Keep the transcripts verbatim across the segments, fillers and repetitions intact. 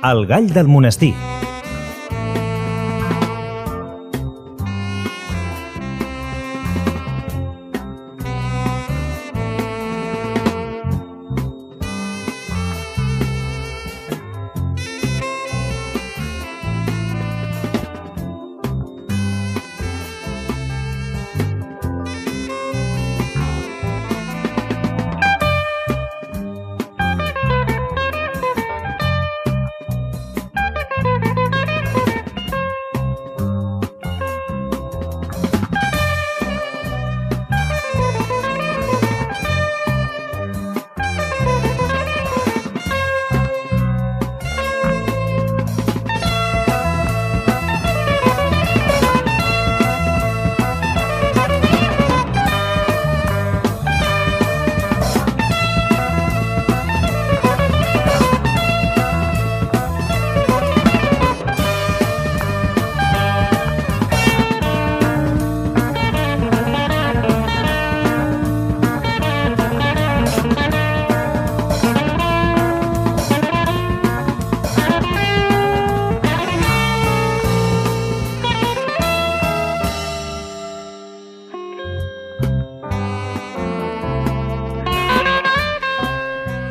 El gall del monestir.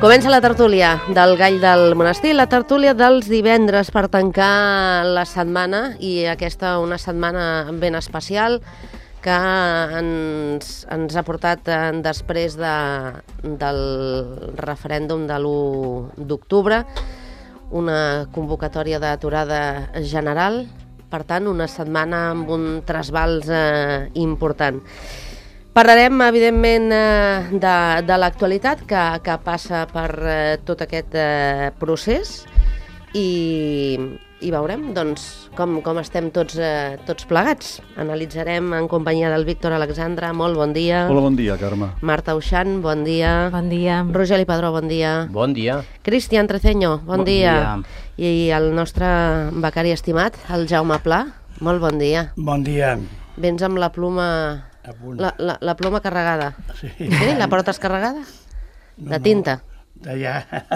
Comença la tertúlia del Gall del Monestir, la tertúlia dels divendres per tancar la setmana, i aquesta una setmana ben especial que ens, ens ha portat després de, del referèndum de l'u d'octubre, una convocatòria d'aturada general, per tant una setmana amb un trasbals eh, important. Parlarem, evidentment, de, de l'actualitat que, que passa per eh, tot aquest eh, procés i, i veurem doncs, com, com estem tots, eh, tots plegats. Analitzarem en companyia del Víctor Alexandra. Molt bon dia. Hola, bon dia, Carme. Marta Uixant, bon dia. Bon dia. Rogeli Padró, bon dia. Bon dia. Cristian Treceño, bon, bon dia. dia. I el nostre becari estimat, el Jaume Pla, molt bon dia. Bon dia. Vens amb la pluma... La, la, la ploma carregada. Sí. Sí? La portes carregada? No, de tinta? No, d'allà.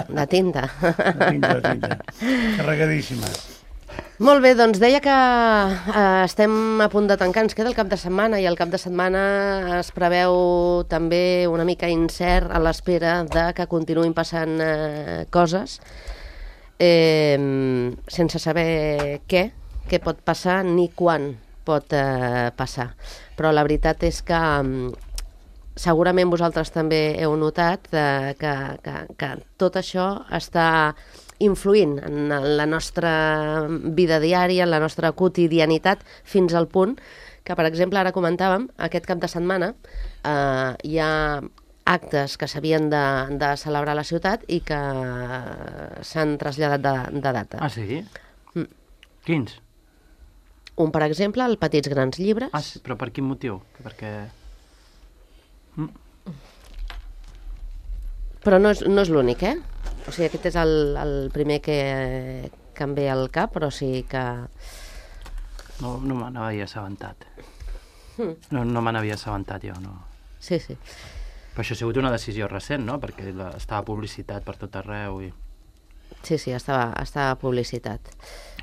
De tinta. De tinta, de tinta. Carregadíssima. Molt bé, doncs deia que eh, estem a punt de tancar, ens queda el cap de setmana, i el cap de setmana es preveu també una mica incert a l'espera de que continuïn passant eh, coses, eh, sense saber què, què pot passar ni quan pot eh, passar. Però la veritat és que um, segurament vosaltres també heu notat eh, que, que, que tot això està influint en la nostra vida diària, en la nostra quotidianitat, fins al punt que, per exemple, ara comentàvem, aquest cap de setmana eh, hi ha actes que s'havien de, de celebrar a la ciutat i que s'han traslladat de, de data. Ah, sí? Mm. Quins? Un, per exemple, el Petits Grans Llibres. Ah, sí, però per quin motiu? Perquè... Mm. Però no és, no és l'únic, eh? O sigui, aquest és el, el primer que, que em ve al cap, però sí que... No, no me n'havia assabentat. Mm. No, no me n'havia assabentat jo, no. Sí, sí. Però això ha sigut una decisió recent, no? Perquè la, estava publicitat per tot arreu i... Sí, sí, estava, estava publicitat.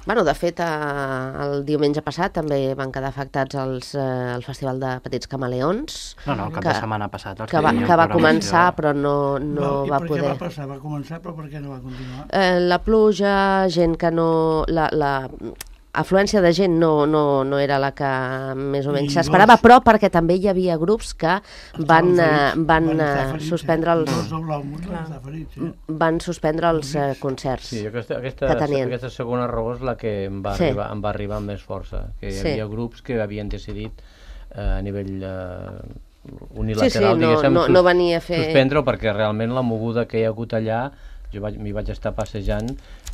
Bueno, de fet, eh, el diumenge passat també van quedar afectats els, eh, el Festival de Petits Camaleons. No, no, el cap que, de setmana passat. Els que va, que va començar, però no, no I va per poder... què va passar? Va començar, però per què no va continuar? Eh, la pluja, gent que no... La, la afluència de gent no, no, no era la que més o menys s'esperava, però perquè també hi havia grups que van, eh, van, van ferits, suspendre els... Ferits, eh? Van suspendre els eh, concerts sí, aquesta, aquesta, que tenien. Aquesta segona raó és la que em va, sí. arribar, em va arribar amb més força, que hi sí. havia grups que havien decidit eh, a nivell eh, unilateral, sí, sí, no, diguéssim, no, no venia a fer... suspendre-ho, perquè realment la moguda que hi ha hagut allà, jo vaig, m'hi vaig estar passejant,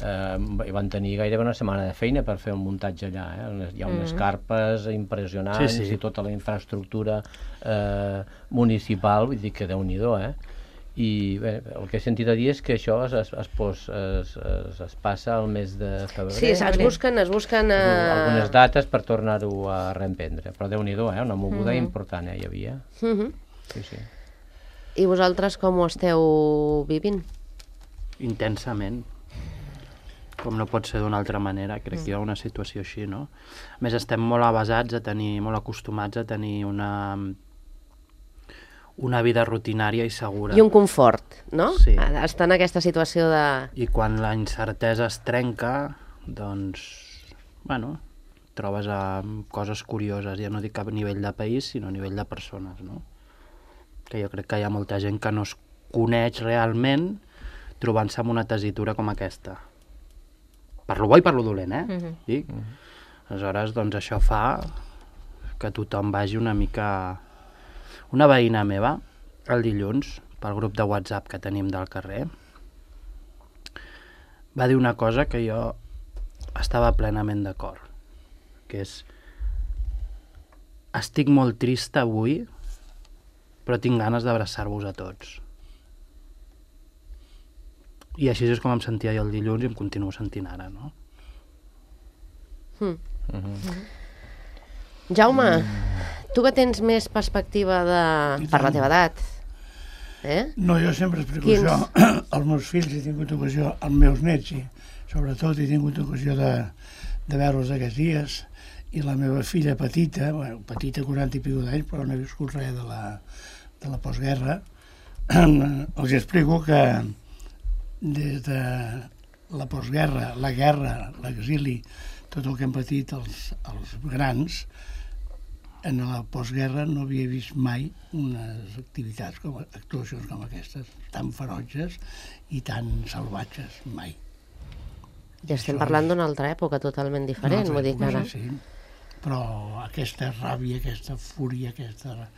eh, i van tenir gairebé una setmana de feina per fer el muntatge allà, eh? Hi ha unes mm. carpes impressionants sí, sí. i tota la infraestructura eh, municipal, vull dir que Déu-n'hi-do, eh? I bé, el que he sentit a dir és que això es, es, es, pos, es, es, es passa al mes de febrer. Sí, es busquen, es busquen uh... algunes dates per tornar-ho a reemprendre, però Déu-n'hi-do, eh? Una moguda mm-hmm. important eh, hi havia. Mm-hmm. Sí, sí. I vosaltres com ho esteu vivint? Intensament. com no pot ser d'una altra manera, crec mm. que hi ha una situació així, no? A més, estem molt avasats a tenir, molt acostumats a tenir una, una vida rutinària i segura. I un confort, no? Sí. Estar en aquesta situació de... I quan la incertesa es trenca, doncs, bueno, trobes a coses curioses, ja no dic a nivell de país, sinó a nivell de persones, no? Que jo crec que hi ha molta gent que no es coneix realment trobant-se amb una tessitura com aquesta. Per lo bo i per lo dolent, eh? Mm-hmm. Dic? Mm-hmm. Aleshores, doncs això fa que tothom vagi una mica... Una veïna meva, el dilluns, pel grup de WhatsApp que tenim del carrer, va dir una cosa que jo estava plenament d'acord, que és: estic molt trista avui, però tinc ganes d'abraçar-vos a tots. I així és com em sentia jo el dilluns i em continuo sentint ara, no? Mm. Mm-hmm. Jaume, mm. tu que tens més perspectiva de... per la teva edat, eh? No, jo sempre explico Quins... això. Els meus fills he tingut ocasió, els meus nets, i sobretot he tingut ocasió de, de veure-los aquests dies, i la meva filla petita, bueno, petita, quaranta i pico d'anys, però no he viscut res de la, de la postguerra, els explico que des de la postguerra, la guerra, l'exili, tot el que han patit els, els grans, en la postguerra no havia vist mai unes activitats, com, actuacions com aquestes, tan ferotges i tan salvatges, mai. I estem Això parlant és... d'una altra època totalment diferent, vull dir que ara... Sí, però aquesta ràbia, aquesta fúria, aquesta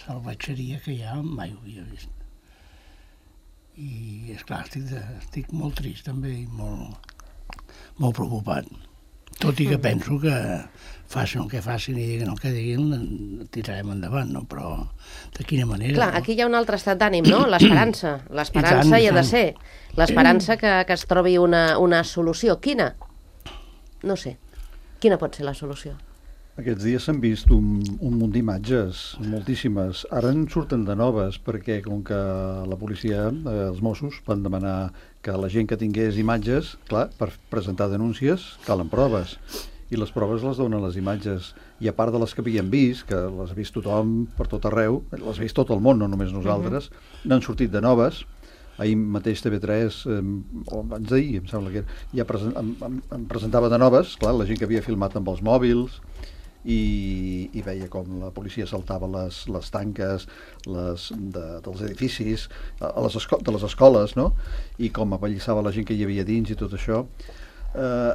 salvatgeria que hi ha, mai ho havia vist. I, esclar, estic, estic molt trist també i molt, molt preocupat. Tot i que penso que facin el que facin i diguin el que diguin, tirarem endavant, no? Però de quina manera... Clar, no? aquí hi ha un altre estat d'ànim, no? L'esperança. L'esperança hi ha de ser. L'esperança que, que es trobi una, una solució. Quina? No sé. Quina pot ser la solució? Aquests dies s'han vist un, un munt d'imatges, moltíssimes. Ara en surten de noves, perquè com que la policia, eh, els Mossos, van demanar que la gent que tingués imatges, clar, per presentar denúncies, calen proves. I les proves les donen les imatges. I a part de les que havíem vist, que les ha vist tothom per tot arreu, les ha vist tot el món, no només nosaltres, uh-huh. n'han sortit de noves. Ahir mateix T V tres, eh, o abans d'ahir, em sembla que ja presen em, em, em presentava de noves, clar, la gent que havia filmat amb els mòbils, i, i veia com la policia saltava les, les tanques les, de, dels edificis a les esco de les escoles, no? I com apallissava la gent que hi havia dins i tot això. Eh,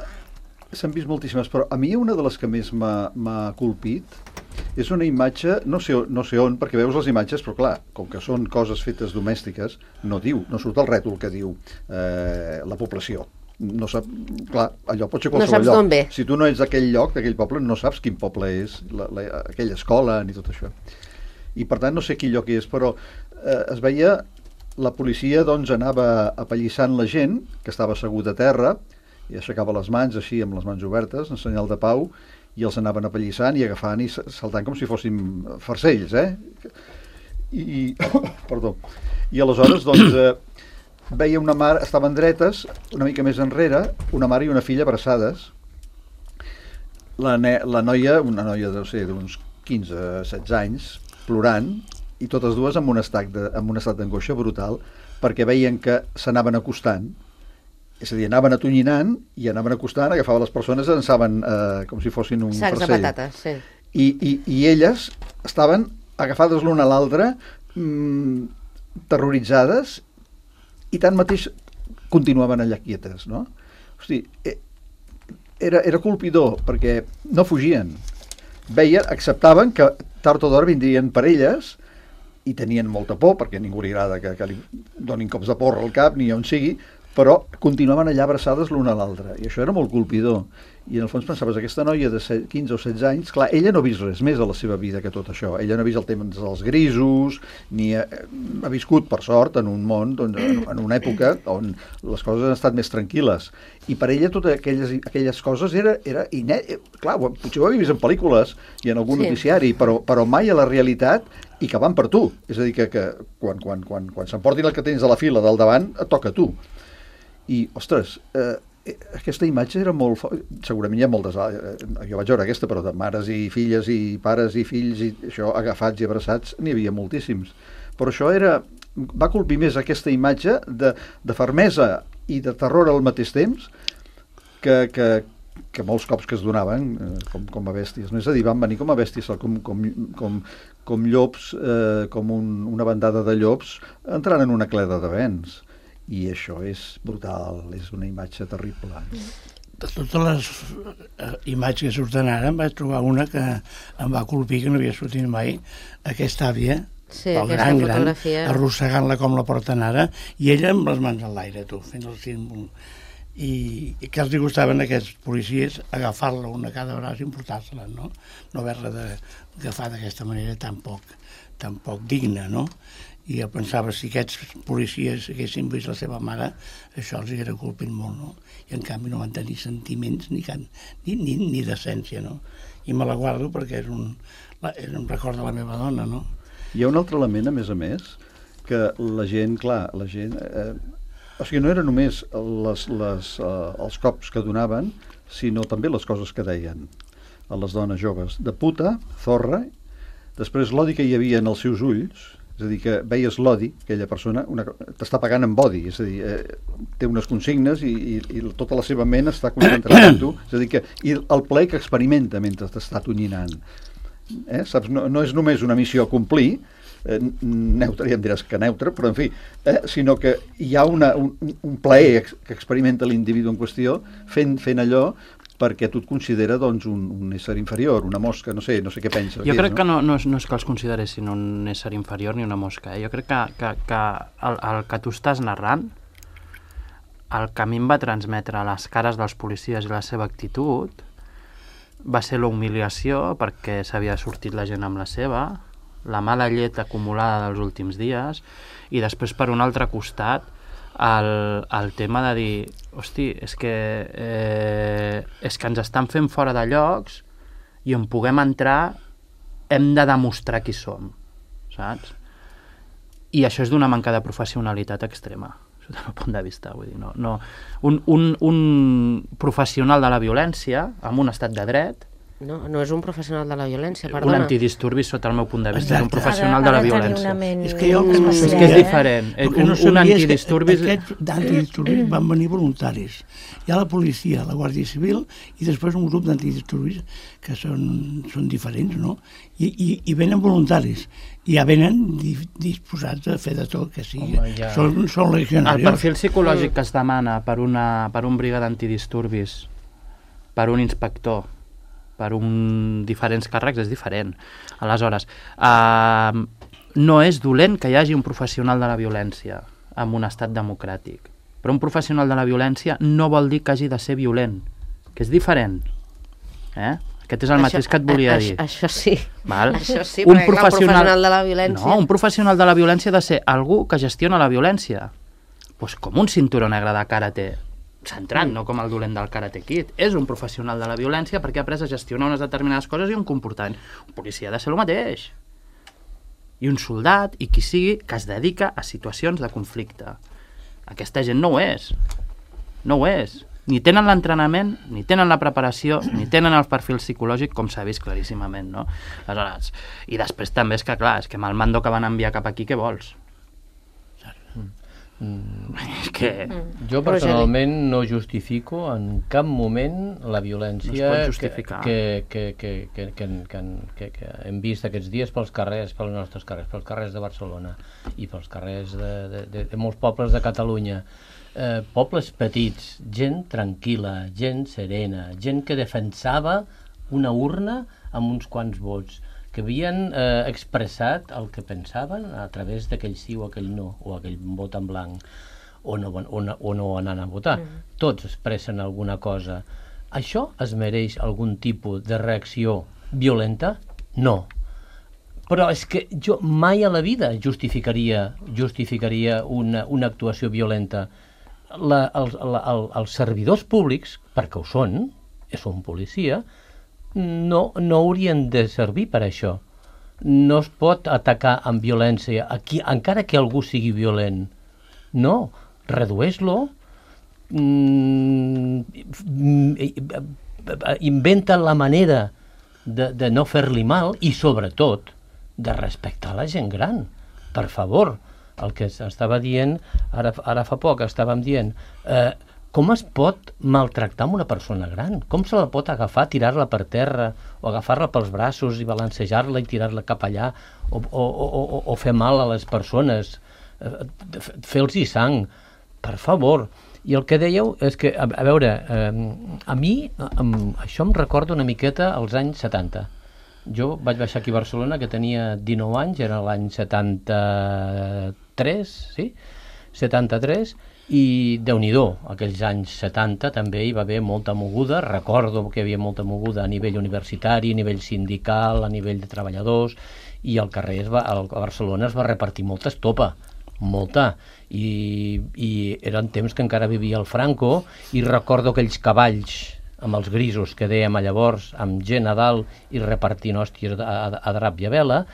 s'han vist moltíssimes, però a mi una de les que més m'ha colpit és una imatge, no sé, no sé on, perquè veus les imatges, però clar, com que són coses fetes domèstiques, no diu, no surt el rètol que diu eh, la població. No sap, clar, allò pot ser qualsevol no lloc. Ve. Si tu no ets d'aquell lloc, d'aquell poble, no saps quin poble és, la, la, aquella escola ni tot això. I per tant no sé quin lloc és, però eh, es veia la policia, doncs anava apallissant la gent que estava asseguda a terra i aixecava les mans així amb les mans obertes en senyal de pau i els anaven apallissant i agafant i saltant com si fossin farcells, eh? I, perdó. I aleshores, doncs, eh, veia una mare, estaven dretes, una mica més enrere, una mare i una filla abraçades. La, ne la noia, una noia deu ser d'uns quinze setze anys, plorant, i totes dues amb un estat de, amb un estat d'angoixa brutal, perquè veien que s'anaven acostant, és a dir, anaven atonyinant i anaven acostant, agafaven les persones i llançaven eh, com si fossin un sacs farcell. de patates, sí. I, i, i elles estaven agafades l'una a l'altra, mmm, terroritzades, i tanmateix continuaven allà quietes, no? Hosti, era, era colpidor, perquè no fugien. Veien, acceptaven que tard o d'hora vindrien per elles i tenien molta por, perquè a ningú li agrada que, que li donin cops de porra al cap, ni on sigui, però continuaven allà abraçades l'una a l'altra, i això era molt colpidor. I en el fons pensaves, aquesta noia de quinze o setze anys, clar, ella no ha vist res més a la seva vida que tot això, ella no ha vist el tema dels grisos, ni ha, ha viscut, per sort, en un món, doncs, en una època on les coses han estat més tranquil·les, i per ella totes aquelles, aquelles coses era, era inè... Clar, potser ho havia vist en pel·lícules i en algun sí. noticiari, però, però mai a la realitat, i que van per tu, és a dir, que, que quan, quan, quan, quan s'emportin el que tens a la fila del davant, et toca a tu. I, ostres, eh, aquesta imatge era molt... Segurament hi ha moltes... Jo vaig veure aquesta, però de mares i filles i pares i fills i això agafats i abraçats n'hi havia moltíssims. Però això era... Va colpir més aquesta imatge de, de fermesa i de terror al mateix temps que, que, que molts cops que es donaven com, com a bèsties. No? És a dir, van venir com a bèsties, com, com, com, com llops, eh, com un, una bandada de llops entrant en una cleda de vents. I això és brutal, és una imatge terrible. De totes les eh, imatges que surten ara, em vaig trobar una que em va colpir, que no havia sortit mai, aquesta àvia, sí, el gran, gran, arrossegant-la com la porten ara, i ella amb les mans enlaire, tu, fent el símbol. I, i que els hi gustaven a aquests policies agafar-la una a cada braç i emportar-se-la, no? No haver-la d'agafar d'aquesta manera tan poc, tan poc digna, no? I jo pensava, si aquests policies haguessin vist la seva mare, això els hauria colpit molt, no? I en canvi no van tenir sentiments ni, can, ni, ni, ni decència, no? I me la guardo perquè és un, és un record de la meva dona, no? Hi ha un altre element, a més a més, que la gent, clar, la gent... Eh, o sigui, no eren només les, les, eh, els cops que donaven, sinó també les coses que deien a les dones joves. De puta, zorra, després l'odi que hi havia en els seus ulls, és a dir, que veies l'odi, aquella persona t'està pagant amb odi, és a dir, eh, té unes consignes i, i, i tota la seva ment està concentrada en tu, és a dir, que, i el plaer que experimenta mentre t'està tonyinant. Eh? Saps? No, no és només una missió a complir, eh, neutre, ja em diràs que neutre, però en fi, eh, sinó que hi ha una, un, un plaer que experimenta l'individu en qüestió fent, fent allò perquè tu et considera doncs, un, un ésser inferior, una mosca, no sé, no sé què penses. Jo que crec és, no? que no, no, és, no és que els consideressin un ésser inferior ni una mosca. Eh? Jo crec que, que, que el, el que tu estàs narrant, el que a mi em va transmetre les cares dels policies i la seva actitud, va ser la humiliació perquè s'havia sortit la gent amb la seva, la mala llet acumulada dels últims dies, i després, per un altre costat, el, el tema de dir, hosti, és que, eh, és que ens estan fent fora de llocs i on puguem entrar hem de demostrar qui som, saps? I això és d'una manca de professionalitat extrema, des del meu punt de vista. Vull dir, no, no. Un, un, un professional de la violència, amb un estat de dret, No, no és un professional de la violència, un perdona. antidisturbi, sota el meu punt de vista, Exacte. és un professional de la violència. És que jo que no És sabia, que és eh? diferent. El que Un, no un sabia és que antidisturbis... Aquests d'antidisturbis van venir voluntaris. Hi ha la policia, la Guàrdia Civil i després un grup d'antidisturbis que són, són diferents, no? I, i, i venen voluntaris. I ja venen di, disposats a fer de tot que sigui. Home, ja. Són, són legionarios. El perfil psicològic que es demana per, una, per un briga d'antidisturbis, per un inspector, per un diferents càrrecs, és diferent. Aleshores, eh, no és dolent que hi hagi un professional de la violència en un estat democràtic, però un professional de la violència no vol dir que hagi de ser violent, que és diferent. Eh? Aquest és el Això- mateix que et volia a- dir. Això sí. Val? Això sí, Un perquè clar, professional- un professional de la violència... No, un professional de la violència ha de ser algú que gestiona la violència. Pues com un cinturó negre de karate centrat, no com el dolent del Karate Kid. És un professional de la violència perquè ha après a gestionar unes determinades coses i un comportament. Un policia ha de ser el mateix. I un soldat, i qui sigui, que es dedica a situacions de conflicte. Aquesta gent no ho és. No ho és. Ni tenen l'entrenament, ni tenen la preparació, ni tenen el perfil psicològic, com s'ha vist claríssimament, no? Aleshores, i després també és que, clar, és que amb el mando que van enviar cap aquí, què vols? Mm. És que... Jo personalment no justifico en cap moment la violència No es pot justificar. que, que, que, que, que, que, que, que hem vist aquests dies pels carrers, pels nostres carrers, pels carrers de Barcelona i pels carrers de, de, de, de molts pobles de Catalunya. Eh, pobles petits, gent tranquil·la, gent serena, gent que defensava una urna amb uns quants vots, que havien eh, expressat el que pensaven a través d'aquell sí o aquell no, o aquell vot en blanc, o no, o no, o no anant a votar. Mm. Tots expressen alguna cosa. Això es mereix algun tipus de reacció violenta? No. Però és que jo mai a la vida justificaria, justificaria una, una actuació violenta. La, els, la, el, els servidors públics, perquè ho són, són policia, no, no haurien de servir per això. No es pot atacar amb violència, aquí, encara que algú sigui violent. No, redueix-lo, inventen la manera de, de no fer-li mal i, sobretot, de respectar la gent gran. Per favor, el que estava dient, ara, ara fa poc estàvem dient, eh, com es pot maltractar una persona gran? Com se la pot agafar, tirar-la per terra, o agafar-la pels braços i balancejar-la i tirar-la cap allà, o, o, o, o fer mal a les persones, eh, fer-los-hi sang? Per favor. I el que dèieu és que, a, a veure, eh, a mi eh, això em recorda una miqueta als anys setanta. Jo vaig baixar aquí a Barcelona, que tenia dinou anys, era l'any setanta-tres, sí? setanta-tres, i Déu-n'hi-do, aquells anys setanta també hi va haver molta moguda. Recordo que hi havia molta moguda a nivell universitari, a nivell sindical, a nivell de treballadors, i al carrer es va, a Barcelona es va repartir molta estopa, molta, i, i eren temps que encara vivia el Franco, i recordo aquells cavalls amb els grisos que dèiem a llavors, amb gent a dalt i repartint hòsties a, a, a drap i a vela.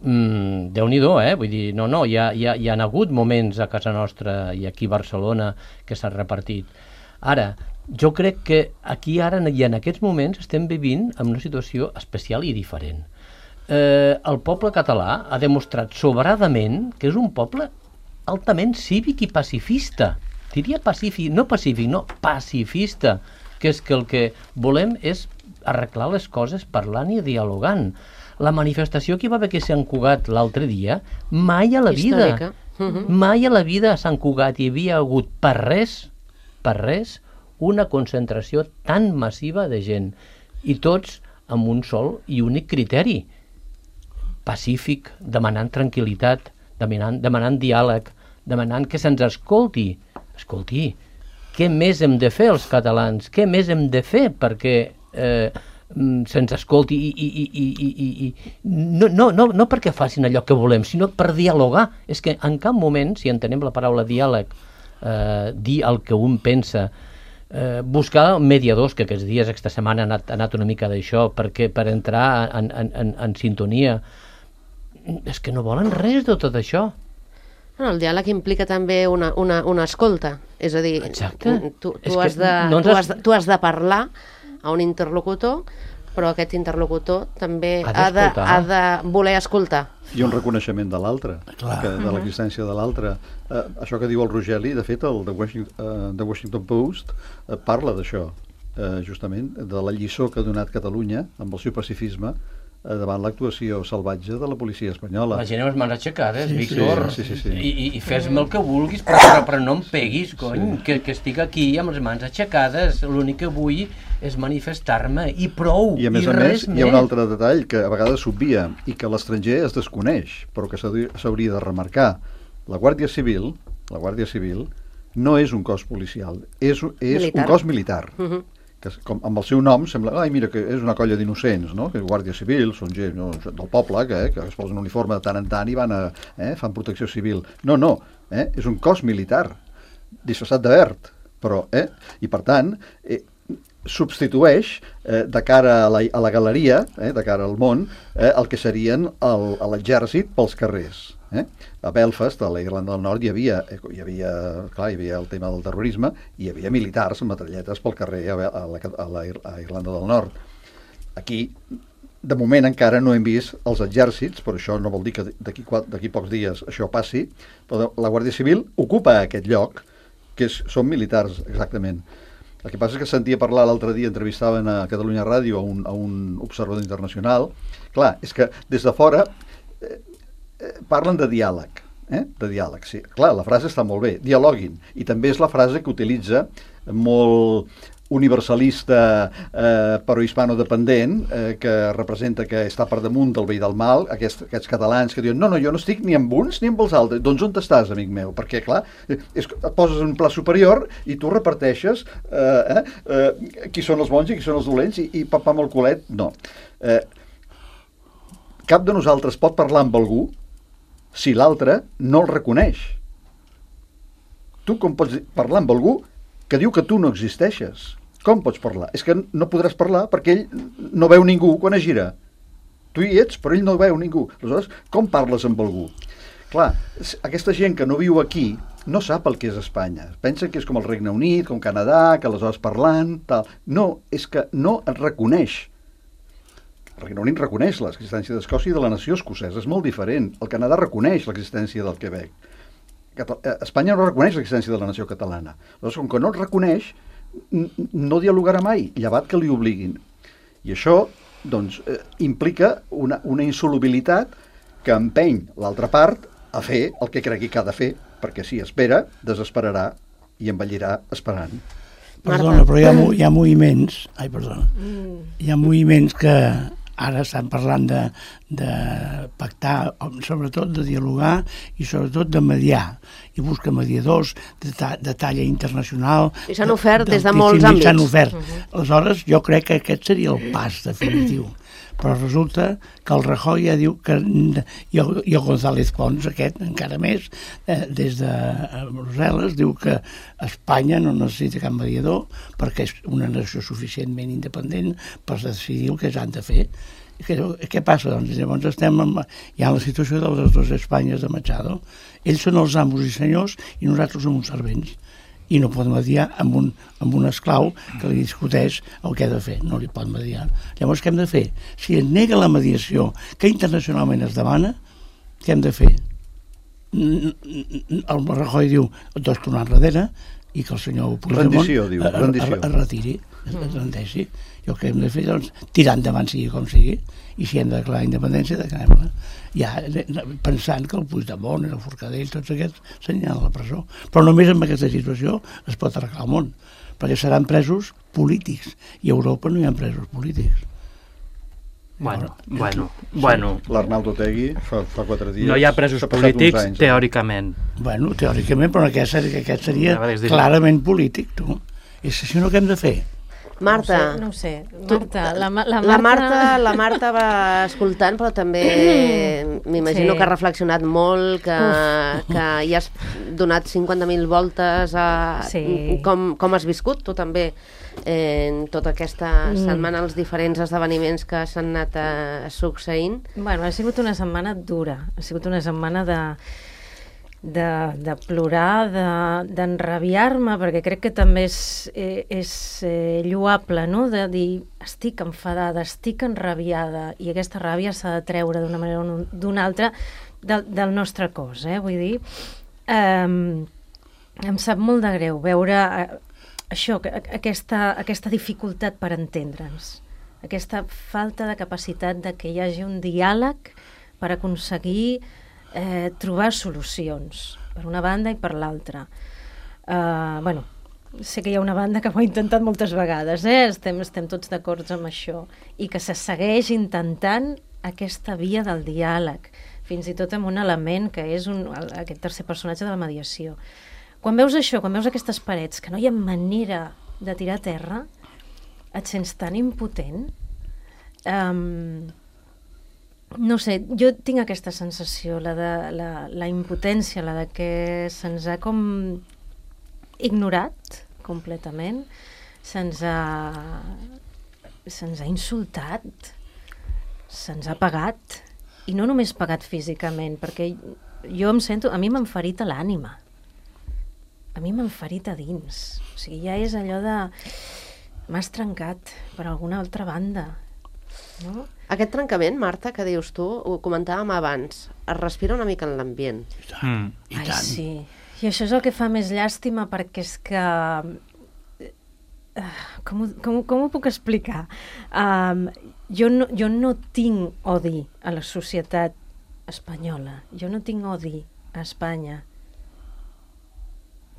Mm, Déu-n'hi-do, eh? Vull dir, no, no, hi ha, hi, ha, hi ha hagut moments a casa nostra i aquí a Barcelona que s'han repartit. Ara, jo crec que aquí ara i en aquests moments estem vivint en una situació especial i diferent. Eh, el poble català ha demostrat sobradament que és un poble altament cívic i pacifista. Diria pacífic, no pacífic, no, pacifista, que és que el que volem és arreglar les coses parlant i dialogant. La manifestació que hi va haver aquí a Sant Cugat l'altre dia, mai a la vida, històrica. Uh-huh. mai a la vida a Sant Cugat hi havia hagut per res, per res, una concentració tan massiva de gent, i tots amb un sol i únic criteri, pacífic, demanant tranquil·litat, demanant, demanant diàleg, demanant que se'ns escolti. Escolti, què més hem de fer els catalans? Què més hem de fer perquè eh, se'ns escolti i, i, i, i, i, i no, no, no, no perquè facin allò que volem, sinó per dialogar. És que en cap moment, si entenem la paraula diàleg, eh, dir el que un pensa, eh, buscar mediadors, que aquests dies, aquesta setmana ha anat, ha anat una mica d'això, perquè per entrar en, en, en, en sintonia, és que no volen res de tot això. Bueno, el diàleg implica també una, una, una escolta, és a dir, exacte. tu, tu, És has que de, no tu, has... has de, tu has de parlar a un interlocutor, però aquest interlocutor també Ha ha de, d'escoltar. ha de voler escoltar. I un reconeixement de l'altre, Clar. que- de l'existència de l'altre. Eh, això que diu el Rogeli, de fet, el The Washington, uh, The Washington Post eh, parla d'això, eh, justament, de la lliçó que ha donat Catalunya amb el seu pacifisme eh, davant l'actuació salvatge de la policia espanyola. La gent amb les mans aixecades, Sí, sí, Víctor, sí, sí, sí. I, i, i fes-me el que vulguis, però, però, però no em peguis, cony, sí. que, que estic aquí amb les mans aixecades, l'únic que vull és manifestar-me, i prou, I a més i a més res hi ha un altre detall que a vegades s'obvia i que l'estranger es desconeix, però que s'hauria s'hauria de remarcar. La Guàrdia Civil, la Guàrdia Civil no és un cos policial, és, és Militar. un cos militar. Uh-huh. Que com, amb el seu nom sembla, ai mira que és una colla d'innocents, no? Que Guàrdia Civil són gent no, del poble que, eh, que es posen un uniforme de tant en tant i van a, eh, fan protecció civil. No, no, eh, és un cos militar disfressat de verd, però, eh, i per tant eh, substitueix eh, de cara a la, a la galeria, eh, de cara al món, eh, el que serien el, l'exèrcit pels carrers. Eh? A Belfast, a la Irlanda del Nord, hi havia, hi havia, clar, hi havia el tema del terrorisme, hi havia militars amb metralletes pel carrer a, a, la, a la a Irlanda del Nord. Aquí, de moment encara no hem vist els exèrcits, però això no vol dir que d'aquí d'aquí pocs dies això passi, però la Guàrdia Civil ocupa aquest lloc, que és, són militars exactament. El que passa és que sentia parlar l'altre dia, entrevistaven a Catalunya Ràdio a un, a un observador internacional. Clar, és que des de fora eh, eh, parlen de diàleg, eh? de diàleg, sí. Clar, la frase està molt bé, dialoguin, i també és la frase que utilitza molt universalista eh, però hispano-dependent, eh, que representa que està per damunt del bé i del mal, aquests, aquests catalans que diuen no, no, jo no estic ni amb uns ni amb els altres. Doncs on estàs, amic meu? Perquè, clar, és, et poses en un pla superior i tu reparteixes eh, eh, qui són els bons i qui són els dolents i, i papà amb el culet, no. Eh, cap de nosaltres pot parlar amb algú si l'altre no el reconeix. Tu com pots parlar amb algú que diu que tu no existeixes? Com pots parlar? És que no podràs parlar perquè ell no veu ningú quan es gira. Tu hi ets, però ell no veu ningú. Aleshores, com parles amb algú? Clar, aquesta gent que no viu aquí no sap el que és Espanya. Pensa que és com el Regne Unit, com Canadà, que aleshores parlant, tal. No, és que no es reconeix. El Regne Unit reconeix l'existència d'Escòcia i de la nació escocesa. És molt diferent. El Canadà reconeix l'existència del Quebec. Espanya no reconeix l'existència de la nació catalana. Llavors, com que no el reconeix, no dialogarà mai, llevat que li obliguin. I això, doncs, eh, implica una, una insolubilitat que empeny l'altra part a fer el que cregui que ha de fer, perquè si espera, desesperarà i envellirà esperant. Perdona, però hi ha, hi ha moviments, ai, perdona, hi ha moviments que ara estan parlant de, de pactar, sobretot de dialogar i sobretot de mediar, i busca mediadors de, ta, de talla internacional. I s'han ofert de, des de molts àmbits. S'han ofert. Uh -huh. Aleshores, jo crec que aquest seria el pas definitiu. Però resulta que el Rajoy ja diu que, i el, i el González Pons, aquest, encara més, eh, des de Brussel·les, diu que Espanya no necessita cap mediador perquè és una nació suficientment independent per decidir el que s'han de fer. Què, què passa? Doncs llavors estem en, hi ha la situació de les dues Espanyes de Machado. Ells són els amos i senyors i nosaltres som uns servents. I no pot mediar amb un, amb un esclau que li discuteix el que ha de fer. No li pot mediar. Llavors, què hem de fer? Si es nega la mediació que internacionalment es demana, què hem de fer? El Rajoy diu dos tornar enrere i que el senyor Puigdemont rendició, diu, rendició. es retiri, es rendeixi. I el que hem de fer, doncs, tirar endavant sigui com sigui, i si hem de declarar independència, declarem-la. Ja pensant que el Puigdemont, el Forcadell, tots aquests s'aniran a la presó. Però només en aquesta situació es pot arreglar el món, perquè seran presos polítics, i a Europa no hi ha presos polítics. Bueno, bueno, bueno. L'Arnaldo Otegi fa, fa quatre dies... No hi ha presos polítics, anys, teòricament. Bueno, teòricament, però aquest seria, aquest seria clarament polític, tu. I si no, què hem de fer? Marta, no ho sé, no ho sé. Marta, la, la, Marta... La, Marta, la Marta va escoltant, però també m'imagino sí. que ha reflexionat molt, que, que hi has donat cinquanta mil voltes a sí. com, com has viscut tu també en tota aquesta setmana, els diferents esdeveniments que s'han anat a, succeint. Bueno, ha sigut una setmana dura, ha sigut una setmana de... De, de plorar, d'enrabiar-me, de, perquè crec que també és, és eh, lloable, no?, de dir estic enfadada, estic enrabiada, i aquesta ràbia s'ha de treure d'una manera o d'una altra del, del nostre cos, eh? Vull dir, eh, em sap molt de greu veure eh, això, aquesta, aquesta dificultat per entendre'ns, aquesta falta de capacitat de que hi hagi un diàleg per aconseguir Eh, trobar solucions, per una banda i per l'altra. Uh, bueno, sé que hi ha una banda que ho ha intentat moltes vegades, eh? estem, estem tots d'acord amb això, i que se segueix intentant aquesta via del diàleg, fins i tot amb un element que és un, aquest tercer personatge de la mediació. Quan veus això, quan veus aquestes parets, que no hi ha manera de tirar a terra, et sents tan impotent. Um, No sé, jo tinc aquesta sensació, la de la, la impotència, la de que se'ns ha com ignorat completament, se'ns ha, se'ns ha insultat, se'ns ha pagat, i no només pagat físicament, perquè jo em sento, a mi m'han ferit a l'ànima, a mi m'han ferit a dins, o sigui, ja és allò de m'has trencat per alguna altra banda, no? Aquest trencament, Marta, que dius tu, ho comentàvem abans, es respira una mica en l'ambient. I tant, mm. i tant. Ai, sí. I això és el que fa més llàstima, perquè és que... Uh, com, ho, com, com ho puc explicar? Um, jo, no, jo no tinc odi a la societat espanyola. Jo no tinc odi a Espanya.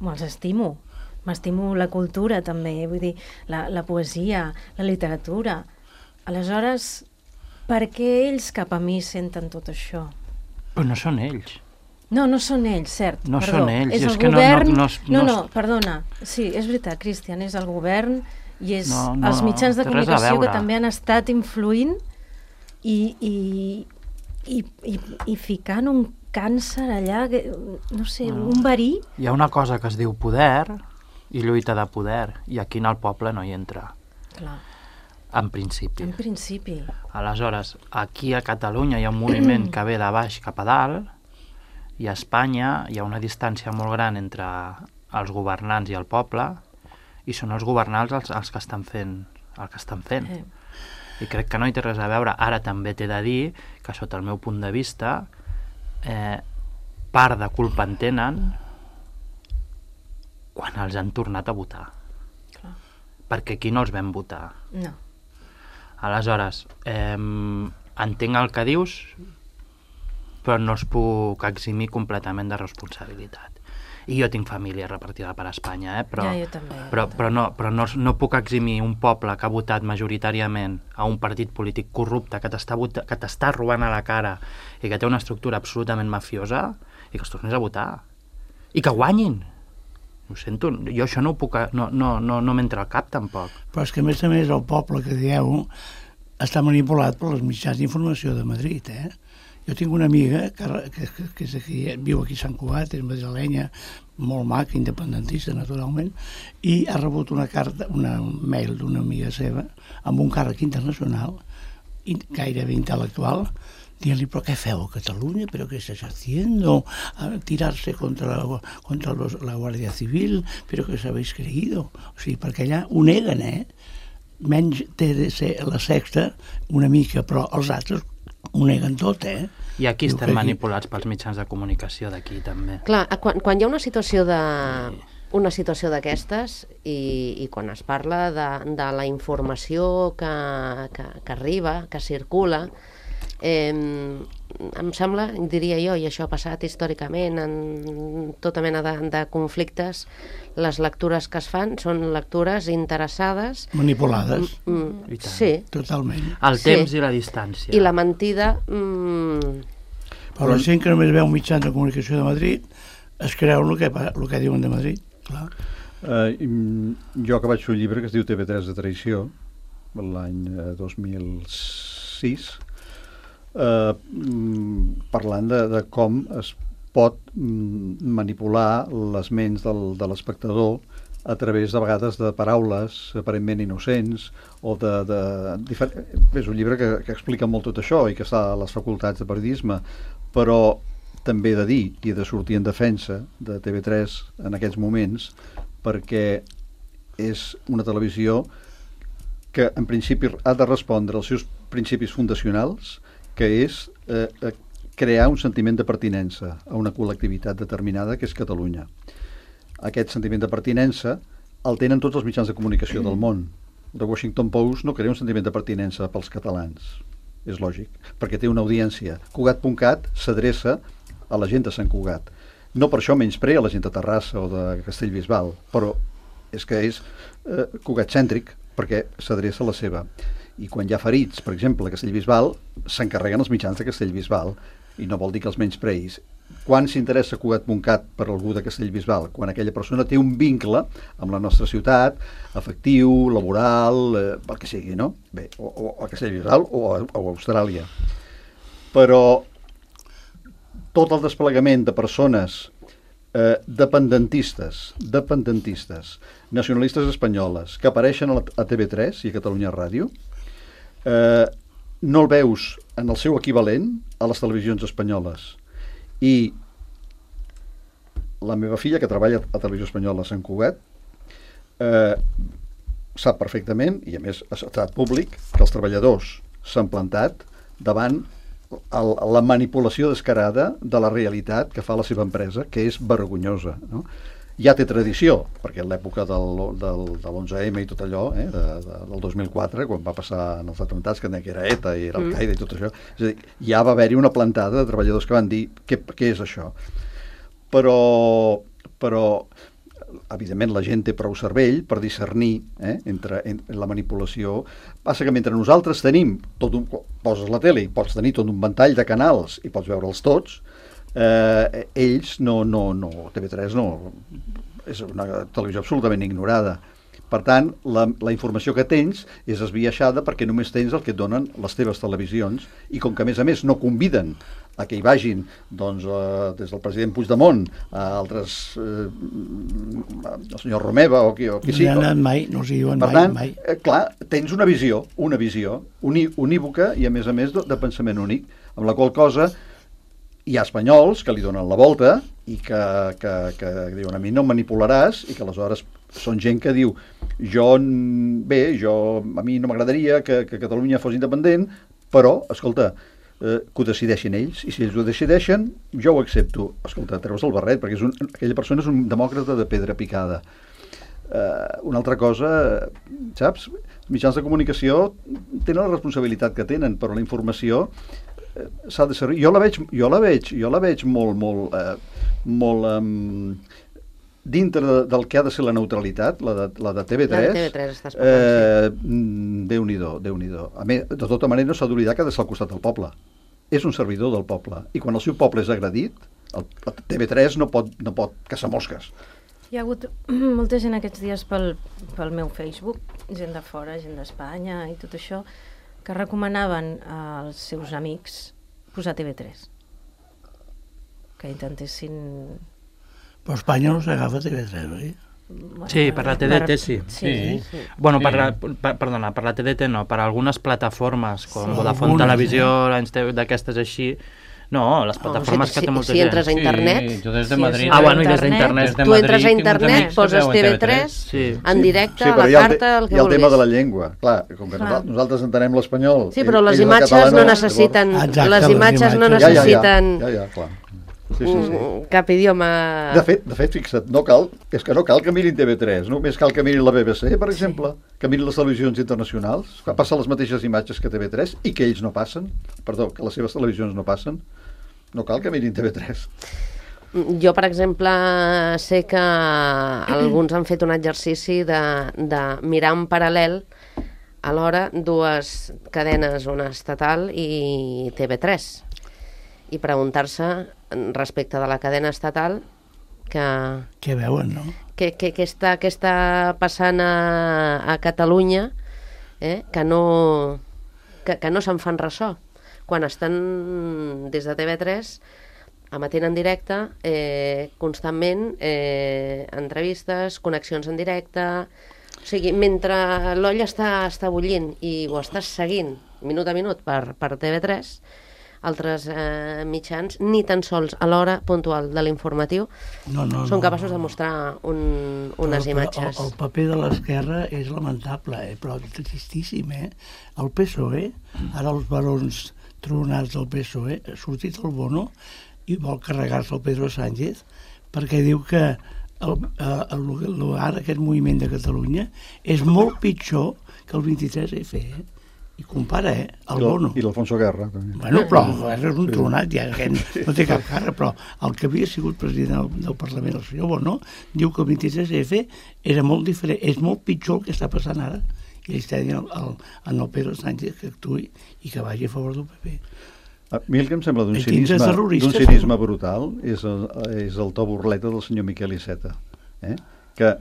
Me'ls estimo. M'estimo la cultura, també. Vull dir, la, la poesia, la literatura. Aleshores, per què ells cap a mi senten tot això? Però no són ells. No, no són ells, cert. No perdó. són ells. És el és que govern... No, no, no, no, no, perdona. Sí, és veritat, Cristian, és el govern i és no, no, els mitjans de comunicació que també han estat influint i, i, i, i, i ficant un càncer allà, no sé, no. un verí. Hi ha una cosa que es diu poder i lluita de poder, i aquí en el poble no hi entra. Clar. En principi. En principi. Aleshores, aquí a Catalunya hi ha un moviment que ve de baix cap a dalt I a Espanya hi ha una distància molt gran entre els governants i el poble, i són els governants els, els que estan fent el que estan fent. Eh. I crec que no hi té res a veure. Ara també t'he de dir que, sota el meu punt de vista, eh, part de culpa en tenen quan els han tornat a votar. Clar. Perquè aquí no els vam votar. No. Aleshores, eh, entenc el que dius, però no els puc eximir completament de responsabilitat. I jo tinc família repartida per Espanya, eh? però, ja, jo també, però, jo però, no, però no, no puc eximir un poble que ha votat majoritàriament a un partit polític corrupte que t'està que t'està robant a la cara i que té una estructura absolutament mafiosa, i que els tornés a votar. I que guanyin. Ho sento, jo això no ho puc... No, no, no, no m'entra al cap, tampoc. Però és que, a més a més, el poble que dieu està manipulat per les mitjans d'informació de Madrid, eh? Jo tinc una amiga que, que, que és aquí, viu aquí a Sant Cugat, és madrilenya, molt maca, independentista, naturalment, i ha rebut una carta, una mail d'una amiga seva, amb un càrrec internacional, gairebé intel·lectual, dient-li, però què feu a Catalunya? ¿Pero qué estás haciendo? A tirarse contra, la, contra los, la Guàrdia Civil? ¿Pero qué os habéis creído? O sigui, perquè allà ho neguen, eh? Menys té de ser la Sexta una mica, però els altres ho neguen tot, eh? I aquí estem manipulats pels mitjans de comunicació d'aquí, també. Clar, quan, quan hi ha una situació de... una situació d'aquestes i, i quan es parla de, de la informació que, que, que arriba, que circula, eh, em sembla, diria jo, i això ha passat històricament en tota mena de, de conflictes, les lectures que es fan són lectures interessades. Manipulades. Mm, mm, sí. Totalment. El temps sí. I la distància. I la mentida... Mm... Però la gent que només veu mitjans de comunicació de Madrid es creu el que, el que diuen de Madrid. Clar. Uh, jo que vaig fer un llibre que es diu T V tres de traïció l'any dos mil sis, uh, parlant de, de com es pot manipular les ments del, de l'espectador a través de vegades de paraules aparentment innocents o de... de difer... és un llibre que, que explica molt tot això i que està a les facultats de periodisme, però també he de dir i he de sortir en defensa de T V tres en aquests moments, perquè és una televisió que en principi ha de respondre als seus principis fundacionals, que és eh, crear un sentiment de pertinença a una col·lectivitat determinada que és Catalunya. Aquest sentiment de pertinença el tenen tots els mitjans de comunicació del món. The Washington Post no crea un sentiment de pertinença pels catalans, és lògic, perquè té una audiència. Cugat punt cat s'adreça a la gent de Sant Cugat. No per això menysprea la gent de Terrassa o de Castellbisbal, però és que és eh, Cugat-cèntric, perquè s'adreça a la seva. I quan hi ha ferits, per exemple, a Castellbisbal, s'encarreguen els mitjans de Castellbisbal, i no vol dir que els menyspreïs. Quan s'interessa Cugat punt cat per algú de Castellbisbal? Quan aquella persona té un vincle amb la nostra ciutat, afectiu, laboral, eh, el que sigui, no? Bé, o, o a Castellbisbal o a, o a Austràlia. Però tot el desplegament de persones eh, dependentistes, dependentistes, nacionalistes espanyoles, que apareixen a, la, a T V tres i a Catalunya Ràdio, eh, no el veus en el seu equivalent a les televisions espanyoles. I la meva filla, que treballa a Televisió Espanyola a Sant Cugat, eh, sap perfectament, i a més ha estat públic, que els treballadors s'han plantat davant el, la manipulació descarada de la realitat que fa la seva empresa, que és vergonyosa, no? Ja té tradició, perquè en l'època del, del, de l'onze eme i tot allò, eh, de, de, del dos mil quatre, quan va passar en els atemptats, que era ETA i era Al-Qaeda i tot això, és a dir, ja va haver-hi una plantada de treballadors que van dir què, què és això. Però, però, evidentment, la gent té prou cervell per discernir eh, entre, entre la manipulació. Passa que mentre nosaltres tenim, tot un, poses la tele i pots tenir tot un ventall de canals i pots veure'ls tots, Eh, ells no, no, no, T V tres no, és una televisió absolutament ignorada. Per tant, la, la informació que tens és esbiaixada perquè només tens el que et donen les teves televisions, i com que a més a més no conviden a que hi vagin doncs, eh, des del president Puigdemont a altres eh, el senyor Romeva o qui, o qui no sigui. No hi ha anat mai, no s'hi diuen per mai, tant, mai. Eh, clar, tens una visió, una visió uní, unívoca i a més a més de, de pensament únic, amb la qual cosa hi ha espanyols que li donen la volta i que, que, que diuen a mi no em manipularàs i que aleshores són gent que diu jo, bé, jo, a mi no m'agradaria que, que Catalunya fos independent, però, escolta, eh, que ho decideixin ells, i si ells ho decideixen, jo ho accepto. Escolta, treus el barret, perquè és un, aquella persona és un demòcrata de pedra picada. Eh, una altra cosa, saps? Els mitjans de comunicació tenen la responsabilitat que tenen, però la informació eh, s'ha de servir. Jo la veig, jo la veig, jo la veig molt, molt, eh, molt um, dintre de, del que ha de ser la neutralitat, la de, la de T V tres. La de T V tres estàs parlant, eh, sí. Déu-n'hi-do, Déu-n'hi-do. A més, de tota manera no s'ha d'oblidar que ha de ser al costat del poble. És un servidor del poble. I quan el seu poble és agredit, el, el T V tres no pot, no pot caçar mosques. Hi ha hagut molta gent aquests dies pel, pel meu Facebook, gent de fora, gent d'Espanya i tot això, que recomanaven als seus amics posar T V tres. Que intentessin... Però Espanya no s'agafa T V tres, oi? Bueno, Sí, per la T D T sí. Sí, sí. sí. Bueno, per Sí. la, per, perdona, per la T D T no, per algunes plataformes com Sí. Vodafone Algunes, Televisió, eh? d'aquestes així. No, les plataformes Oh, que si, té molta si gent. entres a internet, Sí, jo des de Sí, Madrid... sí. Ah, bueno, i des d'internet. Des de tu entres a Madrid tinc uns internet, amics que poses veuen T V T V tres, tres. Sí. en directe, Sí, a però la hi ha el, carta, el que hi ha el tema vulguis. de la llengua. Clar, com que Clar. nosaltres, nosaltres entenem l'espanyol. Sí, però ell- les ells el imatges català no necessiten... Exacte, les les imatges no imatges. Ja, ja, ja, necessiten ja, ja, clar. Sí, sí, sí. mm, cap idioma... De fet, de fet, fixa't, no cal, és que no cal que mirin T V tres, només cal que mirin la B B C, per exemple, que mirin les televisions internacionals, que passen les mateixes imatges que T V tres i que ells no passen, perdó, que les seves televisions no passen, no cal que mirin T V tres. Jo, per exemple, sé que alguns han fet un exercici de, de mirar en paral·lel alhora dues cadenes, una estatal i T V tres, i preguntar-se respecte de la cadena estatal que, Què veuen, no? que, que, que, està, que està passant a, a Catalunya, eh? que no, que, que no se'n fan ressò. Quan estan des de T V tres emetent en directe, eh, constantment, eh, entrevistes, connexions en directe... O sigui, mentre l'olla està, està bullint i ho estàs seguint minut a minut per, per T V tres, altres eh, mitjans, ni tan sols a l'hora puntual de l'informatiu, No, no, són no, capaços no. de mostrar un, unes Però- però imatges. El, el paper de l'esquerra és lamentable, eh? Però tristíssim, eh? El P S O E, ara els barons tronats del P S O E, ha sortit el Bono i vol carregar-se el Pedro Sánchez perquè diu que el, el, el, el, ara aquest moviment de Catalunya és molt pitjor que el vint-i-tres F, eh? I compara, eh? El Bono. I l'Alfonso Guerra, també. Bueno, però el govern és un tronat, ja que no té cap cara, però el que havia sigut president del, del Parlament, el senyor Bono, diu que el vint-i-tres F era molt diferent, és molt pitjor el que està passant ara. I ell està dient al, al, al Pedro Sánchez que actuï i que vagi a favor del P P. A mi el que em sembla d'un I quins cinisme, terroristes d'un cinisme brutal és el, és el to burleta del senyor Miquel Iceta, eh? que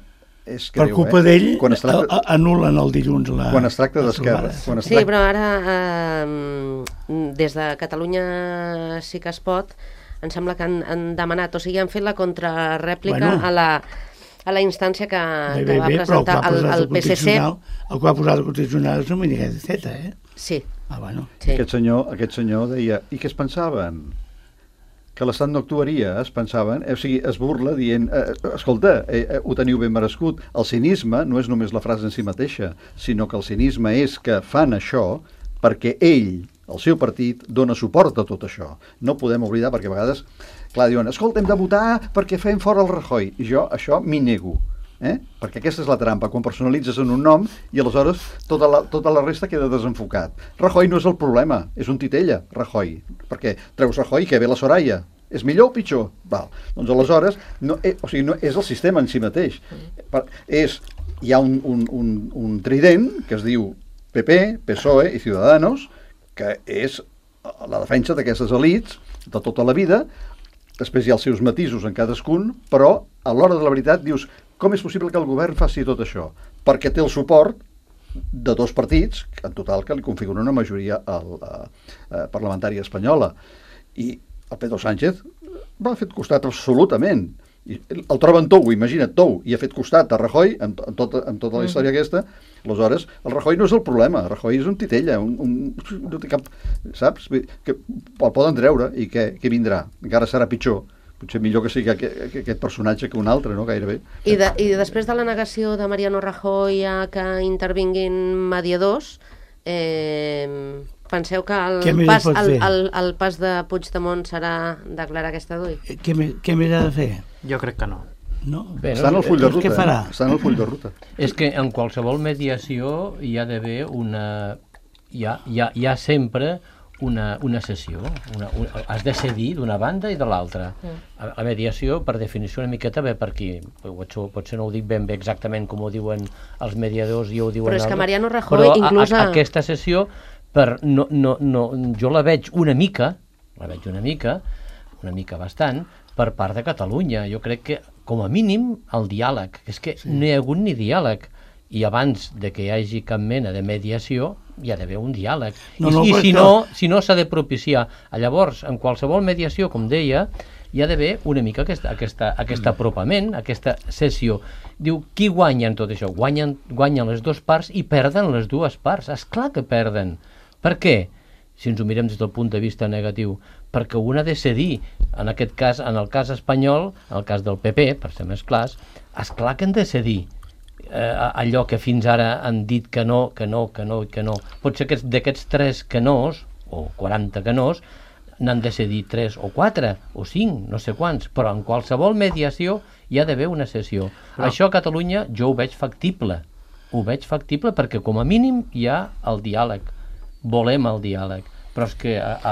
és Per greu, culpa eh? d'ell Quan es tracta, a- a- anul·len el dilluns la... quan es tracta la d'esquerra, trobada. quan es Sí, tracta... però ara, eh, des de Catalunya sí que es pot, em sembla que han, han demanat, o sigui, han fet la contrarèplica Bueno. a la a la instància que, Bé, que bé, va bé, però el que presentar ha el, posat el el P S C. Constitucional, el que ha posat el Constitucional és un Miquel Iceta, eh? Sí, Ah, bueno. sí. Aquest senyor, aquest senyor deia, i què es pensaven? Que l'Estat no actuaria, es pensaven, eh, o sigui, es burla dient, eh, escolta, eh, eh, ho teniu ben merescut. El cinisme no és només la frase en si mateixa, sinó que el cinisme és que fan això perquè ell, el seu partit, dona suport a tot això. No podem oblidar, perquè a vegades, clar, diuen, escolta, hem de votar perquè fem fora el Rajoy. I jo això m'hi nego. Eh? Perquè aquesta és la trampa, quan personalitzes en un nom i aleshores tota la, tota la resta queda desenfocat. Rajoy no és el problema, és un titella, Rajoy, perquè treus Rajoy que ve la Soraya. És millor o pitjor? Val. Doncs aleshores, no, eh, o sigui, no és el sistema en si mateix. Per, és, hi ha un, un, un, un trident que es diu P P, P S O E i Ciudadanos, que és la defensa d'aquestes elits de tota la vida. Després hi ha els seus matisos en cadascun, però a l'hora de la veritat dius, com és possible que el govern faci tot això? Perquè té el suport de dos partits, en total que li configuren una majoria al, a, a parlamentària espanyola. I el Pedro Sánchez va fer costat absolutament. i el troben tou, imagina't, tou, i ha fet costat a Rajoy, amb, amb, tota, amb tota la història aquesta, aleshores, el Rajoy no és el problema, el Rajoy és un titella, un, un, no té cap, saps? Que el poden treure, i què, què vindrà? Encara serà pitjor. Potser millor que sigui aquest, aquest personatge que un altre, no? Gairebé. I, de, I després de la negació de Mariano Rajoy a que intervinguin mediadors, eh, penseu que el pas, el, el, el pas de Puigdemont serà declarar aquesta dui? Què, què més ha de fer? Jo crec que no. No? Bé, està en el full de ruta. Què farà? Eh? Està en el full de ruta. És que en qualsevol mediació hi ha d'haver una... Hi ha, hi ha, hi ha sempre una, una sessió. Una, una, has de cedir d'una banda i de l'altra. Mm. La mediació, per definició, una miqueta ve per aquí. Potser, potser no ho dic ben bé exactament com ho diuen els mediadors i ho diuen... Però és que Mariano Rajoy però inclús... A, a, aquesta sessió, per, no, no, no, jo la veig una mica, la veig una mica, una mica bastant, per part de Catalunya. Jo crec que, com a mínim, el diàleg. És que sí. No hi ha hagut ni diàleg. I abans de que hi hagi cap mena de mediació, hi ha d'haver un diàleg. No, no, I, i si no, si no s'ha de propiciar. Llavors, en qualsevol mediació, com deia, hi ha d'haver una mica aquesta, aquesta, aquest apropament, aquesta sessió. Diu, qui guanya en tot això? Guanyen, guanyen les dues parts i perden les dues parts. És clar que perden. Per què? Si ens ho mirem des del punt de vista negatiu, perquè un ha de cedir, en aquest cas, en el cas espanyol, en el cas del P P, per ser més clars, és clar que han de cedir eh, allò que fins ara han dit que no, que no, que no i que no. Potser que d'aquests tres que nos, o quaranta que nos, n'han de cedir tres o quatre, o cinc, no sé quants, però en qualsevol mediació hi ha d'haver una sessió. Però... Això a Catalunya jo ho veig factible, ho veig factible perquè com a mínim hi ha el diàleg. Volem el diàleg, però és que a, a,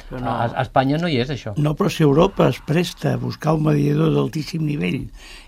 no. a, a Espanya no hi és això. No, però si Europa es presta a buscar un mediador d'altíssim nivell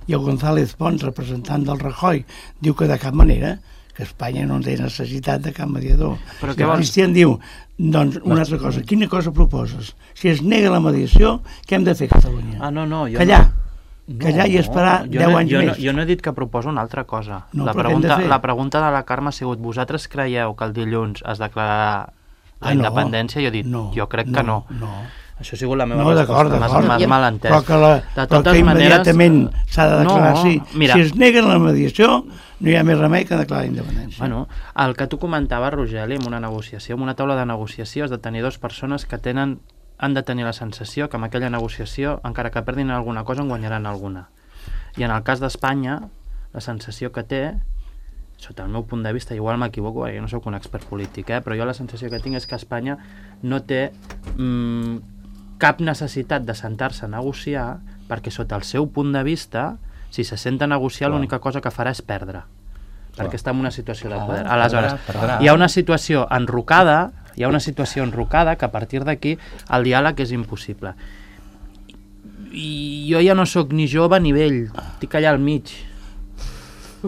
i el González Pons, representant del Rajoy, diu que de cap manera, que Espanya no té necessitat de cap mediador. Però i el Cristian diu, doncs, una altra cosa, quina cosa proposes? Si es nega la mediació, què hem de fer a Catalunya? Ah, no, no, jo Callar. No. Callar no, i esperar jo deu no, anys jo més. No, jo no he dit que proposo una altra cosa. No, la, pregunta, la pregunta de la Carme ha sigut, vosaltres creieu que el dilluns es declararà la ah, no, independència? Jo he dit, no, jo crec no, que no. no. Això ha sigut la meva no, resposta, m'has mal entès. Però que, la, de totes però que immediatament maneres... s'ha de declarar, no, sí. Mira, si es neguen la mediació, no hi ha més remei que declarar la independència. Bueno, el que tu comentaves, Rogeli, en una negociació, en una taula de negociació has de tenir dues persones que tenen, han de tenir la sensació que amb aquella negociació, encara que perdin alguna cosa, en guanyaran alguna. I en el cas d'Espanya, la sensació que té, sota el meu punt de vista, igual m'equivoco, perquè jo no soc un expert polític, eh, però jo la sensació que tinc és que Espanya no té mmm, cap necessitat de sentar-se a negociar, perquè sota el seu punt de vista, si se senta a negociar, l'única cosa que farà és perdre, perquè està en una situació de poder. Aleshores, hi ha una situació enrocada, hi ha una situació enrocada que a partir d'aquí el diàleg és impossible. I jo ja no sóc ni jove ni vell, estic allà al mig,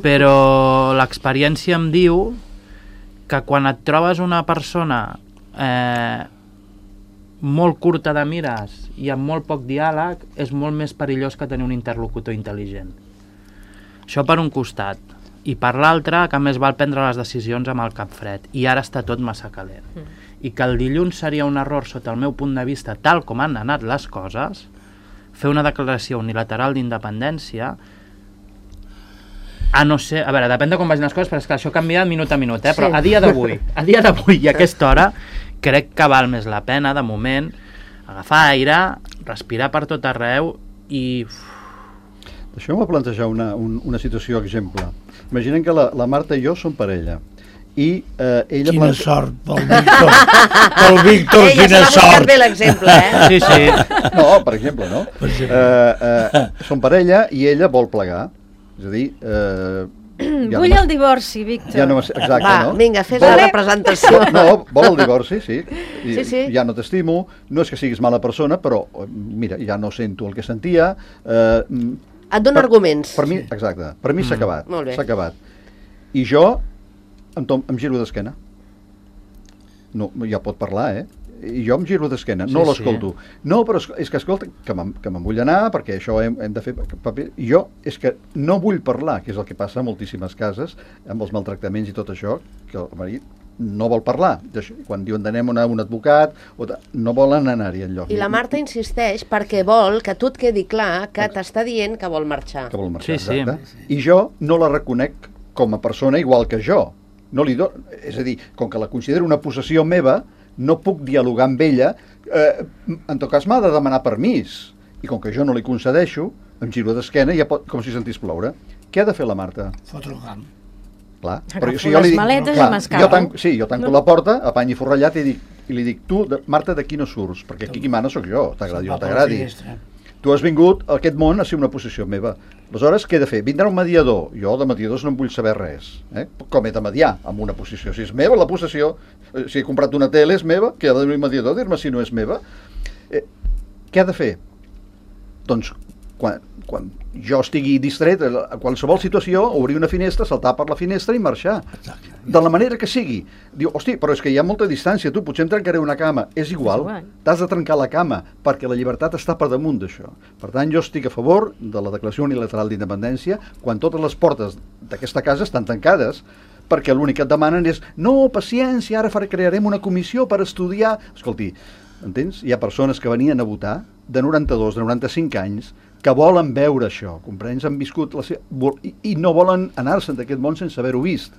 però l'experiència em diu que quan et trobes una persona eh, molt curta de mires i amb molt poc diàleg és molt més perillós que tenir un interlocutor intel·ligent. Això per un costat, i per l'altre que més val prendre les decisions amb el cap fred, i ara està tot massa calent, mm. i que el dilluns seria un error sota el meu punt de vista, tal com han anat les coses, fer una declaració unilateral d'independència, a no ser... A veure, depèn de com vagin les coses, però és que això canvia minut a minut, eh? Però sí. a dia d'avui, a dia d'avui i a aquesta hora, crec que val més la pena, de moment, agafar aire, respirar per tot arreu i... Deixeu-me plantejar una, un, una situació exemple. Imaginem que la, la Marta i jo som parella. I eh, ella... Quina plante... sort pel Víctor. Pel Víctor, Ei, quina ja sort. bé l'exemple, eh? Sí, sí. No, per exemple, no? Per exemple. Eh, eh, som parella i ella vol plegar. És a dir... Eh, ja vull no el divorci, Víctor. Ja no, exacte, Va, no? vinga, fes vol... la representació. No, vol el divorci, sí. I, sí, sí. Ja no t'estimo, no és que siguis mala persona, però, mira, ja no sento el que sentia. Eh, Et dono per, arguments. Per mi, exacte, per mi s'ha mm. acabat. Molt bé. S'ha acabat. I jo em, tom, em giro d'esquena. No, ja pot parlar, eh? I jo em giro d'esquena, no sí, l'escolto. Sí. No, però és que, escolta, que me'n me vull anar, perquè això hem, hem de fer paper. I jo és que no vull parlar, que és el que passa a moltíssimes cases, amb els maltractaments i tot això, que el marit no vol parlar. Quan diuen d'anem a un advocat, o de, no volen anar-hi enlloc. I la Marta insisteix perquè vol que tu et quedi clar que t'està dient que vol marxar. Que vol marxar, sí, exacte. sí. I jo no la reconec com a persona igual que jo. No li do... És a dir, com que la considero una possessió meva, no puc dialogar amb ella, eh, en tot cas m'ha de demanar permís. I com que jo no li concedeixo, em giro d'esquena i ja pot, com si sentís ploure. Què ha de fer la Marta? Fotre el camp. Clar, Agafo però si jo li les dic, maletes clar, i m'escapo. jo tanco, sí, jo tanco No. la porta, apany i forrellat i, dic, i li dic, tu, de, Marta, d'aquí no surts, perquè aquí qui mana sóc jo, t'agradi o no t'agradi. Tu has vingut a aquest món a ser una possessió meva. Aleshores, què he de fer? Vindrà un mediador. Jo de mediadors no en vull saber res. Eh? Com he de mediar amb una possessió? Si és meva la possessió, eh, si he comprat una tele és meva, que ha de venir un mediador a dir-me si no és meva. Eh, què ha de fer? Doncs quan, quan jo estigui distret a qualsevol situació, obrir una finestra, saltar per la finestra i marxar. De la manera que sigui. Diu, hosti, però és que hi ha molta distància, tu potser em trencaré una cama. És igual, t'has de trencar la cama, perquè la llibertat està per damunt d'això. Per tant, jo estic a favor de la Declaració Unilateral d'Independència quan totes les portes d'aquesta casa estan tancades, perquè l'únic que et demanen és no, paciència, ara crearem una comissió per estudiar. Escolti, entens? Hi ha persones que venien a votar de noranta-dos, de noranta-cinc anys, que volen veure això, comprens? Han viscut la seva... I, i no volen anar-se'n d'aquest món sense haver-ho vist.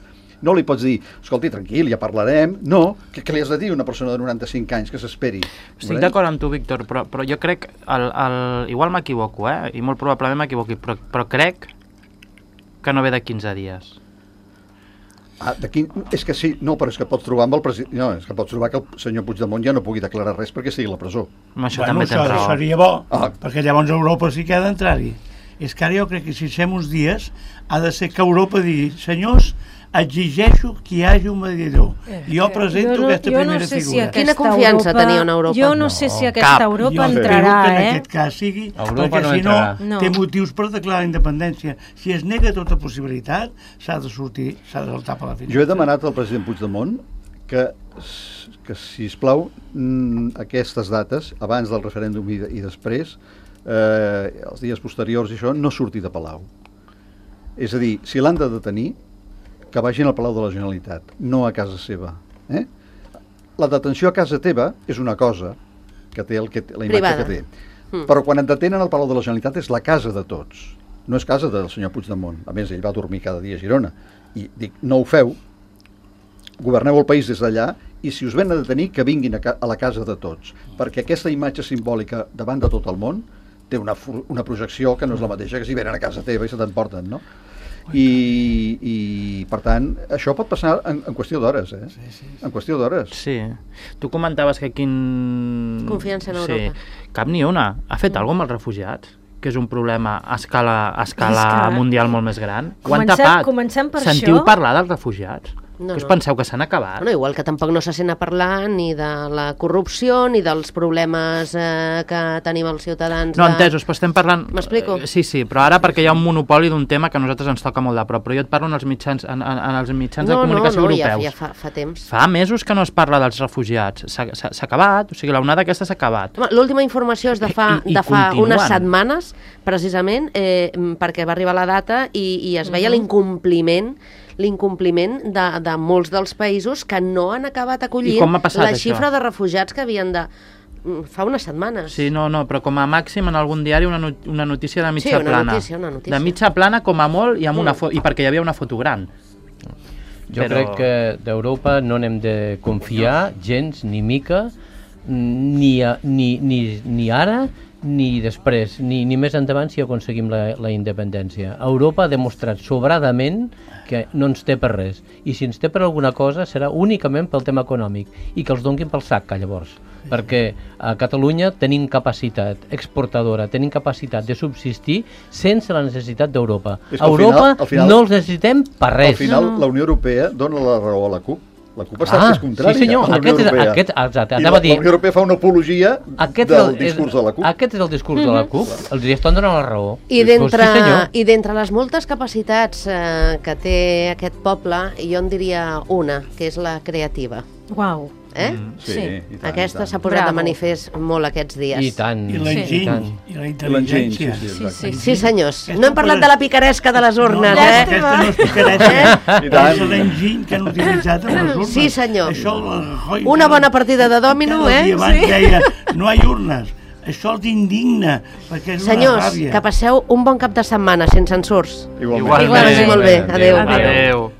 No li pots dir, escolti, tranquil, ja parlarem. No, què, què li has de dir a una persona de noranta-cinc anys que s'esperi? Estic d'acord amb tu, Víctor, però, però jo crec, el, el, igual m'equivoco, eh? I molt probablement m'equivoqui, però, però crec que no ve de quinze dies. Ah, d'aquí, és que sí, no, però és que pots trobar amb el president, no, és que pots trobar que el senyor Puigdemont ja no pugui declarar res perquè estigui a la presó. Amb això Bueno, també això tens raó. seria bo, Ah. perquè llavors Europa sí que ha d'entrar-hi. És que ara jo crec que si fem uns dies ha de ser que Europa digui, senyors, exigeixo que hi hagi un mediador. Jo presento jo no, aquesta jo no primera sé si figura. aquesta Quina confiança Europa, teniu en Europa? Jo no, No, sé si aquesta cap. Europa Jo espero entrarà, que en eh? aquest cas sigui, Europa perquè no si no, entrarà. No. té motius per declarar la independència. Si es nega tota possibilitat, s'ha de sortir, s'ha de saltar per la finestra. Jo he demanat al president Puigdemont que, que sisplau, aquestes dates, abans del referèndum i, i després, eh, els dies posteriors i això, no surti de Palau. És a dir, si l'han de detenir, que vagin al Palau de la Generalitat, no a casa seva. Eh? La detenció a casa teva és una cosa que té, el que té la imatge Privada. que té. Mm. Però quan et detenen al Palau de la Generalitat és la casa de tots. No és casa del senyor Puigdemont. A més, ell va dormir cada dia a Girona. I dic, no ho feu, governeu el país des d'allà i si us ven a detenir, que vinguin a, ca a la casa de tots. Perquè aquesta imatge simbòlica davant de tot el món té una, una projecció que no és la mateixa que si venen a casa teva i se t'emporten, no? I, i per tant això pot passar en, en qüestió d'hores, eh? Sí, sí, sí. En qüestió d'hores. Sí. Tu comentaves que quin... Confiança en Europa. Sí. Cap ni una. Ha fet alguna cosa amb els refugiats? Que és un problema a escala, a escala Escala. mundial molt més gran. Ho han Comencem- tapat. comencem per Sentiu això. parlar dels refugiats? No, que us no. penseu que s'han acabat? Bueno, igual que tampoc no se sent a parlar ni de la corrupció ni dels problemes eh, que tenim els ciutadans. No, de... entesos, però estem parlant... M'explico? Eh, Sí, sí, però ara perquè hi ha un monopoli d'un tema que a nosaltres ens toca molt de prop, però jo et parlo en els mitjans, en, en, en els mitjans de no, comunicació no, no, ja, europeus. ja fa, fa temps. Fa mesos que no es parla dels refugiats. S'ha s'ha- s'ha acabat, o sigui, l'onada aquesta s'ha acabat. Home, l'última informació és de fa, I- i de fa continuen. unes setmanes, precisament, eh, perquè va arribar la data i, i es veia l'incompliment l'incompliment de, de molts dels països que no han acabat acollint I com ha passat, la això? xifra de refugiats que havien de... Fa unes setmanes. Sí, no, no, però com a màxim en algun diari una, not una notícia de mitja Sí, una plana. notícia, una notícia. De mitja plana com a molt i, amb una Mm. fo i perquè hi havia una foto gran. Jo Però- crec que d'Europa no n'hem de confiar gens ni mica, ni, a, ni, ni, ni ara ni després, ni, ni més endavant si aconseguim la, la independència. Europa ha demostrat sobradament que no ens té per res, i si ens té per alguna cosa serà únicament pel tema econòmic, i que els donguin pel sac, llavors, perquè a Catalunya tenim capacitat exportadora, tenim capacitat de subsistir sense la necessitat d'Europa. És que A al Europa final- al final- no els necessitem per res. Al final, No, no. la Unió Europea dona la raó a la CUP. La CUP està Ah, és contrària sí, senyor, a la Unió aquest és- Europea. aquest- exacte, I anava la, a dir- la Unió Europea fa una apologia Aquest del és el, discurs de la CUP. Aquest és el discurs de la CUP, els hi estan donant la raó. I Doncs d'entre sí, senyor. i d'entre les moltes capacitats eh, que té aquest poble, jo en diria una, que és la creativa. Uau. Eh? Mm, sí, Sí. i tant, Aquesta i s'ha tant. posat de Bravo. manifest molt aquests dies. I tant. I i l'enginy, tant. i la L'enginy, sí, intel·ligència. sí, exacte. Sí, senyors. Aquesta No hem parlat cosa- de la picaresca de les urnes, no, no, eh? aquesta no és picaresca, I tant. és l'enginy que han utilitzat en les urnes. Sí, senyor. Això, el Rajoy Una cada- bona partida de dòmino, cada eh? dia abans Sí. deia, no hi ha urnes. Això els indigna, perquè és una Senyors, ràbia. que passeu un bon cap de setmana, sense ensurs. Igualment. Que vagi molt bé. Adéu. Adéu. Adéu.